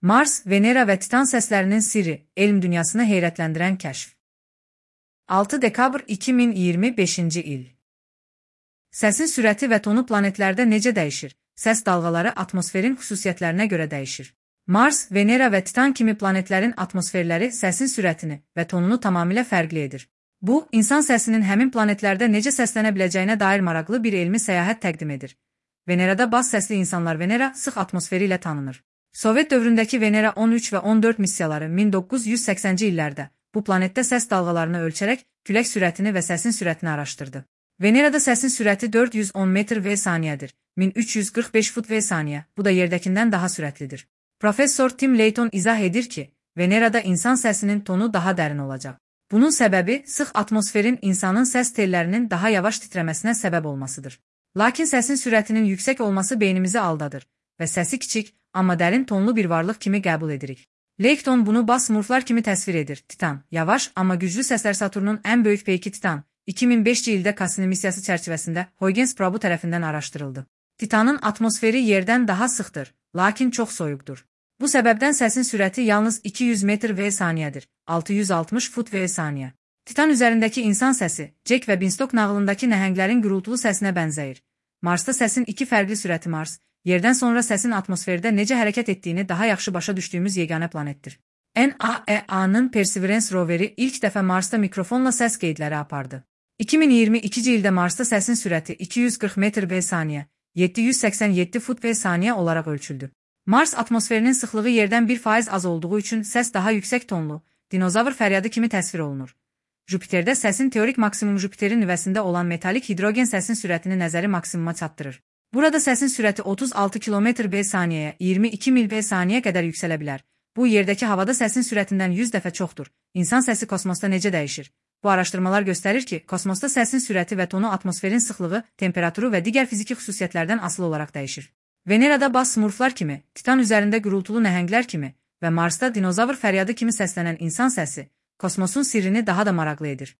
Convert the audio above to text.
Mars, Venera və Titan səslərinin sirri, elm dünyasını heyrətləndirən kəşf. 6 dekabr 2025-ci il. Səsin sürəti və tonu planetlərdə necə dəyişir? Səs dalğaları atmosferin xüsusiyyətlərinə görə dəyişir. Mars, Venera və Titan kimi planetlərin atmosferləri səsin sürətini və tonunu tamamilə fərqli edir. Bu, insan səsinin həmin planetlərdə necə səslənə biləcəyinə dair maraqlı bir elmi səyahət təqdim edir. Venerada baz səsli insanlar Venera sıx atmosferi ilə tanınır. Sovet dövründəki Venera 13 və 14 missiyaları 1980-ci illərdə bu planetdə səs dalğalarını ölçərək külək sürətini və səsin sürətini araşdırdı. Venerada səsin sürəti 410 metr v saniyədir, 1345 fut v saniyə, bu da yerdəkindən daha sürətlidir. Professor Tim Layton izah edir ki, Venerada insan səsinin tonu daha dərin olacaq. Bunun səbəbi sıx atmosferin insanın səs tellərinin daha yavaş titrəməsinə səbəb olmasıdır. Lakin səsin sürətinin yüksək olması beynimizi aldadır və səsi kiçik, amma dərin tonlu bir varlıq kimi qəbul edirik. Layton bunu bas smurflar kimi təsvir edir. Titan, yavaş, amma güclü səslər Saturnun ən böyük peyki Titan, 2005-ci ildə Cassini missiyası çərçivəsində Huygens probu tərəfindən araşdırıldı. Titanın atmosferi yerdən daha sıxdır, lakin çox soyuqdur. Bu səbəbdən səsin sürəti yalnız 200 metr v saniyədir, 660 fut v saniyə. Titan üzərindəki insan səsi, Jack və Beanstalk nağılındakı nəhənglərin gürültülü səsinə bənzəyir. Marsda səsin iki fərqli sürəti Mars, yerdən sonra səsin atmosferdə necə hərəkət etdiyini daha yaxşı başa düşdüyümüz yeganə planetdir. NAEA-nın Perseverance roveri ilk dəfə Marsda mikrofonla səs qeydləri apardı. 2022-ci ildə Marsda səsin sürəti 240 metr v saniyə, 787 fut v saniyə olaraq ölçüldü. Mars atmosferinin sıxlığı yerdən 1% az olduğu üçün səs daha yüksək tonlu, dinozavr fəryadı kimi təsvir olunur. Jupiterdə səsin teorik maksimum Jupiterin nüvəsində olan metalik hidrogen səsin sürətini nəzəri maksimuma çatdırır. Burada səsin sürəti 36 km v saniyəyə, 22 mil v saniyə qədər yüksələ bilər. Bu, yerdəki havada səsin sürətindən 100 dəfə çoxdur. İnsan səsi kosmosda necə dəyişir? Bu araşdırmalar göstərir ki, kosmosda səsin sürəti və tonu atmosferin sıxlığı, temperaturu və digər fiziki xüsusiyyətlərdən asılı olaraq dəyişir. Venerada bas smurflar kimi, Titan üzərində gürültülü nəhənglər kimi və Marsda dinozavr fəryadı kimi səslənən insan səsi, kosmosun sirrini daha da maraqlı edir.